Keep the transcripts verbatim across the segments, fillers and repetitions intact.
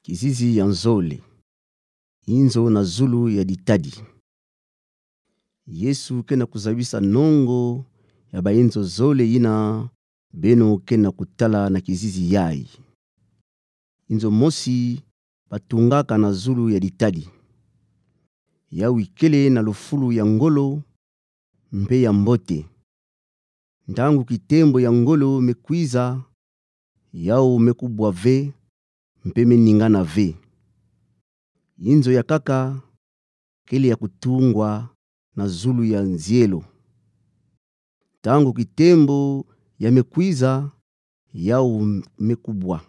Kizizi ya nzole. Inzo na zulu ya ditadi. Yesu ke na kuzabisa nongo ya bainzo zole yina beno ke na kutala na kizizi yayi. Inzo mosi batungaka na zulu ya ditadi. Yawu ikele na lufulu ya ngolo mpe ya mbote. Ntangu kitembo ya ngolo me kwiza, yawu me kubwa ve, mpe me ningana ve. Inzo ya nkaka kele ya kutungwa na zulu ya nzielo. Ntangu kitembo ya me kwiza, yawu me kubwa.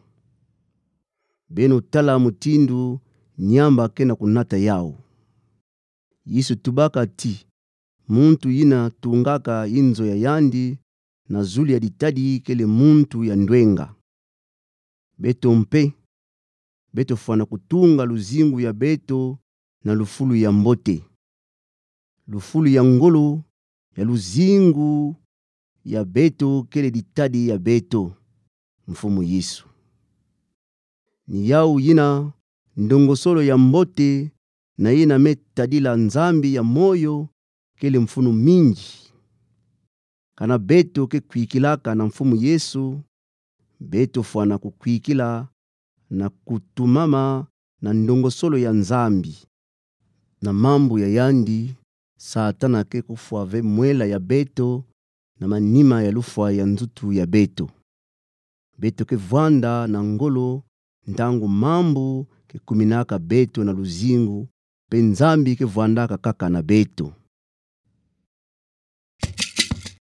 Beno tala mutindu Nyamba ke na kunata yawu. Yesu tubaka ti, muntu yina tungaka inzo ya yandi na zulu ya ditadi kele muntu ya ndwenga. Beto mpe, beto fwana kutunga luzingu ya beto na lufulu ya mbote. Lufulu ya ngolo ya luzingu ya beto kele ditadi ya beto, Mfumu Yesu. Ni yawu yina ndongosolo ya mbote na yina me tadila Nzambi ya moyo kele mfunu mingi. Kana beto ke kwikilaka na Mfumu Yesu, beto fwana kukwikila na kutumama na ndongosolo ya Nzambi. Na mambu ya yandi, Satana ke kufwa ve mwela ya beto na manima ya lufwa ya nzutu ya beto. Beto ke vwanda na ngolo ntangu mambu ke kuminaka beto na luzingu, mpe Nzambi ke vwandaka kaka na beto.